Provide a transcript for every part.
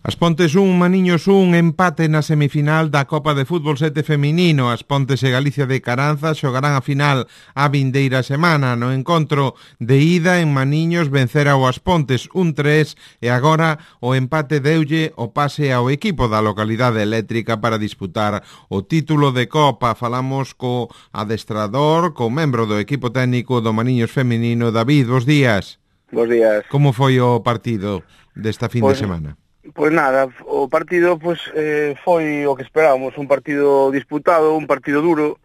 As Pontes 1, Maniños 1, empate na semifinal da Copa de Fútbol 7 feminino. As Pontes e Galicia de Caranza xogarán a final a vindeira semana. No encontro de ida en Maniños vencera o As Pontes 1-3 e agora o empate deulle o pase ao equipo da localidade eléctrica para disputar o título de Copa. Falamos co adestrador, co membro do equipo técnico do Maniños feminino, David. Bos días. Bos días. Como foi o partido desta fin de semana? Pois nada, o partido foi o que esperábamos, un partido disputado, un partido duro,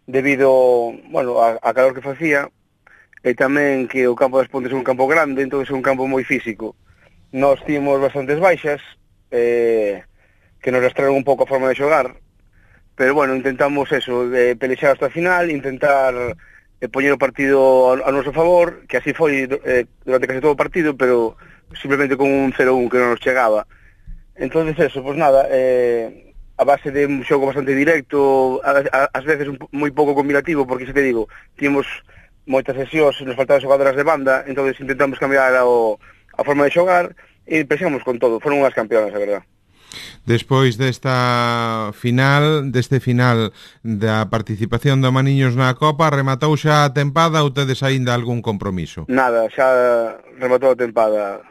debido, a calor que facía, e tamén que o campo das Pontes é un campo grande, entón é un campo moi físico. Nós tínhamos bastantes baixas, que nos rastraron un pouco a forma de xogar, pero intentamos eso, pelexar hasta a final, intentar poñer o partido a noso favor, que así foi durante case todo o partido, pero simplemente con un 0-1 que non nos chegaba. Entonces eso, a base de un xogo bastante directo, ás veces moi pouco combinativo, porque, se te digo, tínhamos moitas sesións, nos faltaban xogadoras de banda, entonces intentamos cambiar a forma de xogar e pensamos con todo. Foron unhas campeonas, a verdad. Despois deste final da participación do Maniños na Copa, rematou xa a tempada ou tedes aínda algún compromiso? Nada, xa rematou a tempada.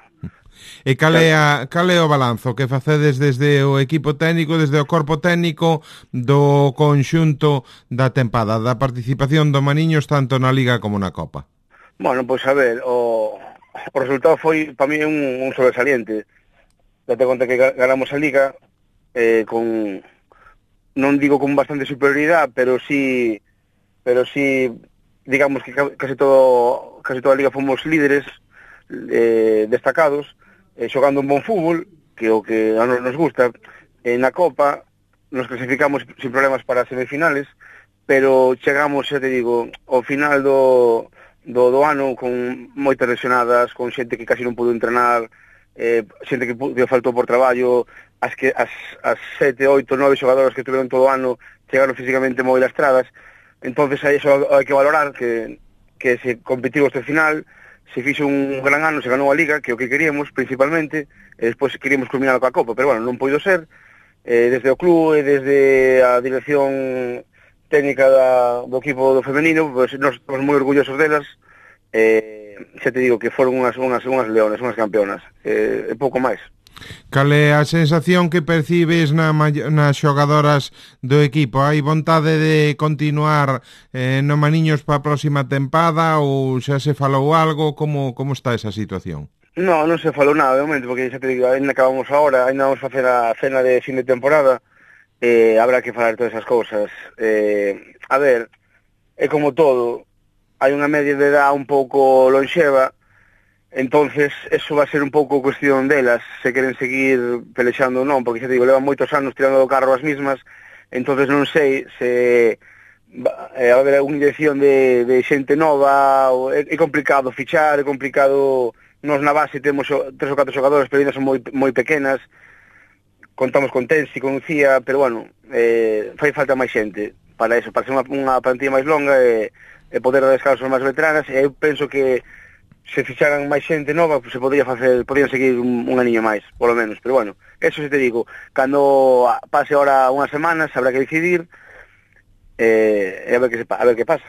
E cal é o balanzo que facedes desde o equipo técnico, desde o corpo técnico do conxunto da tempada, da participación do Maniños tanto na Liga como na Copa? A ver, o resultado foi para mí un sobresaliente. Date conta que ganamos a Liga non digo con bastante superioridade, pero sí digamos que casi toda a Liga fomos líderes destacados, xogando un bon fútbol, que o que a nos gusta. Na Copa nos clasificamos sin problemas para as semifinales, pero chegamos, xa te digo, ao final do ano con moitas lesionadas, con xente que casi non pudo entrenar, xente que faltou por traballo, as 7, 8, 9 xogadoras que tuveron todo o ano chegaron físicamente moi lastradas. Entonces aí iso hai que valorar que se competiu este final, se fixo un gran ano, se ganou a Liga, que é o que queríamos principalmente, e despois queríamos culminar coa Copa, pero non poido ser. Desde o club e desde a dirección técnica do equipo do femenino, nós estamos moi orgullosos delas. Xa te digo que foron unhas leones, unhas campeonas, e pouco máis. Cal é a sensación que percibes nas xogadoras do equipo? Hai vontade de continuar no Maniños para a próxima tempada ou xa se falou algo? Como está esa situación? Non se falou nada de momento, porque xa te digo, ainda acabamos agora, ainda vamos facer a cena de fin de temporada, habrá que falar todas esas cousas. A ver, é como todo, hai unha media de edad un pouco lonxeva, entonces eso va a ser un pouco cuestión delas, se queren seguir pelexando ou non, porque xa te digo, levan moitos anos tirando do carro as mismas, entonces non sei se va a haber unha inyección de xente nova, é complicado fichar, é complicado. Nos na base temos 3 ou 4 xogadores, pero ainda son moi pequenas, contamos con Tensi, con Cía, pero fai falta máis xente para eso, para ser unha plantilla máis longa e poder dar descanso máis veteranas, e eu penso que se ficharan máis xente nova, se podían seguir un aniño máis, polo menos, pero eso se te digo, cando pase ahora unhas semanas, habrá que decidir e a ver que pasa.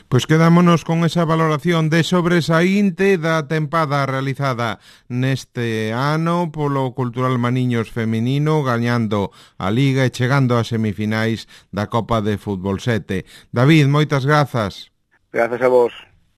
Pois quedámonos con esa valoración de sobresaínte da tempada realizada neste ano polo Cultural Maniños feminino, gañando a Liga e chegando ás semifinais da Copa de Fútbol 7. David, moitas grazas. Grazas a vos.